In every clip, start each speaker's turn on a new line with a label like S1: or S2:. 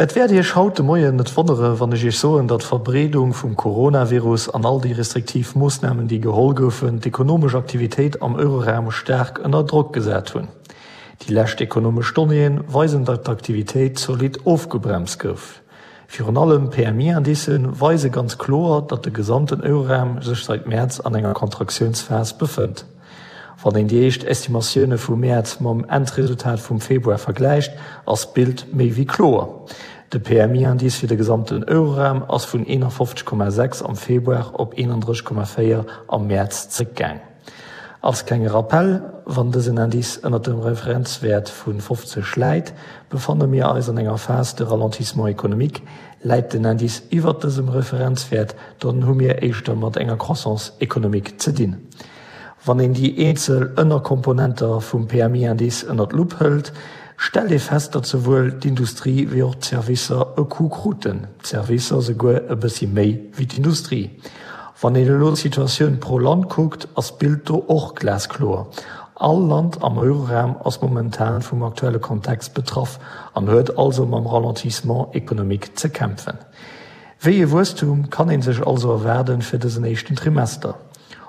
S1: Et wäert Iech haut de Moien net wonnere wann ech Iech soen, datt d'Verbreedung vum Coronavirus an all déi restriktiv Moossnamen déi geholl goufen, d'ekonomesch Aktivitéit am Euroraum staark ënner Drock gesat hunn. Déi lescht ekonomesch Donnéeë weisen, datt d'Aktivitéit zolidd ofgebremst gouf. Virun allem d'PMI-Indicë weise ganz kloer, datt de gesamten Euroraum sech seit Mäerz an enger Kontraktiounsphas befënnt. Wann een déi éischt Estimatioune vum Mäerz mam Endresultat vum Februar vergläicht, ass d'Bild méi wéi kloer. De PMI-Indice fir de gesamten Euroraum ass vun 51,6 am Februar op 31,4 am Mäerz zeréckgaang. Als klenge Rappell, Wann dësen Indice ënnert dem Referenzwäert vu 50 läit, befanne mir eis an enger Phase de ralentissement économique. Läit den Indice iwwert dësem Referenzwäert, dann hu mir éischter mat enger Croissance économique ze dinn. Wann een déi eenzel Ënnerkomponenter vum PMI-Indice ënner d'Lupp hëlt, stellt ee fest, datt souwuel d'Industrie wéi och d'Servicer e Coup kruten, d'Servicer souguer e bëssi méi wéi d'Industrie. Wann een elo d'Situatioun pro Land kuckt, ass d'Bild do och glaskloer. All Land am Euroraum ass momentan vum aktuelle Kontext betraff an huet also mam Ralentissement économique ze kämpfen. Wéi ee Wuesstum kann ee sech also erwaarden fir dësen éischten Trimester?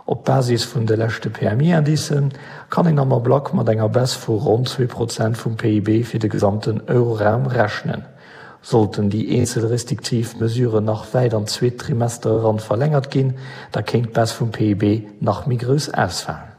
S1: Op Basis vun de leschte PMI-Indicen kann een am Ablack mat enger Baisse vu ronn 2 Prozent vum PIB fir de gesamten Euroraum rechnen. Sollten déi eenzel restriktiv Mesuren nach wäit an d'zweet Trimester eran verlängert ginn, da kéint d'Baisse vum PIB nach méi grouss ausfalen.